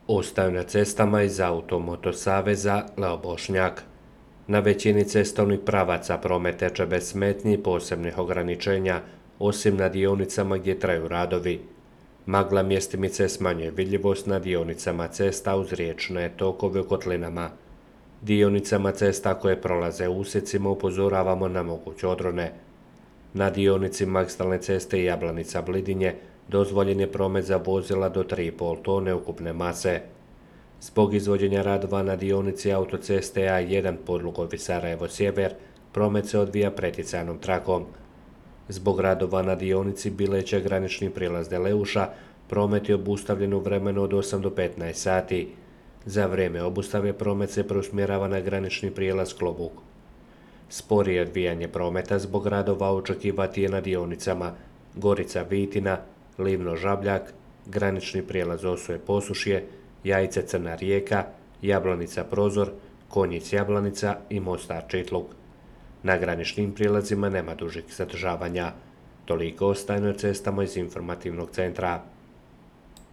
Ostaju na cestama iz Automoto saveza Leo Bošnjak. Na većini cestovnih pravaca promet teče bez smetnji i posebnih ograničenja, osim na dionicama gdje traju radovi. Magla mjestimice smanjuje vidljivost na dionicama cesta uz riječne tokove u kotlinama. Dionicama cesta koje prolaze u usjecima upozoravamo na moguće odrone. Na dionici magistralne ceste Jablanica-Blidinje dozvoljen je promet za vozila do 3,5 tone ukupne mase. Zbog izvođenja radova na dionici autoceste A1 Podlugovi Sarajevo-Sjever, promet se odvija pretjecajnom trakom. Zbog radova na dionici Bileće granični prijelaz Deleuša, promet je obustavljen u vremenu od 8 do 15 sati. Za vrijeme obustave promet se preusmjerava na granični prijelaz Klobuk. Sporije odvijanje prometa zbog radova očekivati je na dionicama Gorica-Vitina, Livno-Žabljak, granični prijelaz Osuje-Posušje, Jajce-Crna Rijeka, Jablanica-Prozor, Konjic-Jablanica i Mostar-Čitluk. Na graničnim prijelazima nema dužih zadržavanja. Toliko ostaje na cestama iz informativnog centra.